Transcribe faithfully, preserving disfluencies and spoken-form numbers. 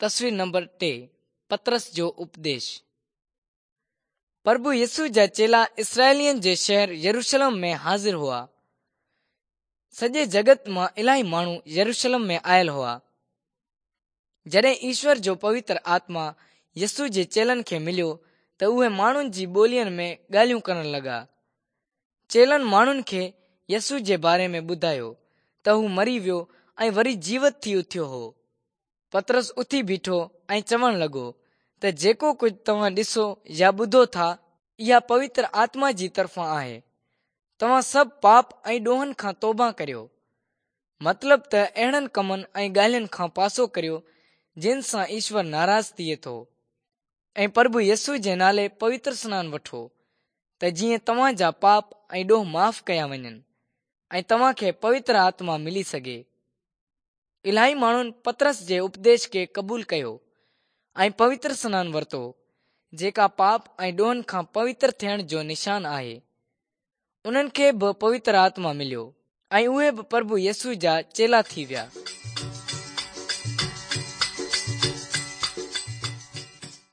تصوير نمبر ٽي، پطرس جو اپديش. پرڀو يسوع جا چيلا اسرائيلين جي شهر يروشلم ۾ حاضر هئا. سڄي جڳت مان الاهي ماڻهو يروشلم ۾ آيل هئا. جڏهن ايشور جو پوتر آتما يسوع جي چيلن کي مليو ته اهي ماڻهن جي ٻولين ۾ ڳالهيون ڪرڻ لڳا. چيلن ماڻهن کي يسوع جي باري ۾ ٻڌايو ته هو مري ويو ۽ وري جيوت ٿي اٿيو هو. پطرس اٿي بيٺو ۽ چوڻ لڳو ته جيڪو ڪجهه توهان ڏسو يا ٻڌو ٿا، اها پوتر آتما جي طرفان آهي. توهان سڀ پاپ ۽ ڏوهن کان توبه ڪريو. مطلب ته اهڙن ڪمن ۽ ڳالهين کان پاسو ڪريو جن سان ايشور ناراض ٿئي ٿو، ۽ پرڀو يسوع جي نالي پوتر سنان وٺو ته جيئن توهان جا پاپ ۽ ڏوهه معاف ڪيا وڃن ۽ توهان کي پوتر آتما ملي سگهي. الاهي ماڻهن پطرس جي اپديش کي قبول ڪيو ۽ پوتر سنان ورتو، جيڪا پاپ ۽ ڏوهن کان پوتر ٿيڻ جو نشان آهي. انهن کي به پوتر آتما مليو ۽ اهي به پرڀو يسوع جا چيلا ٿي ويا.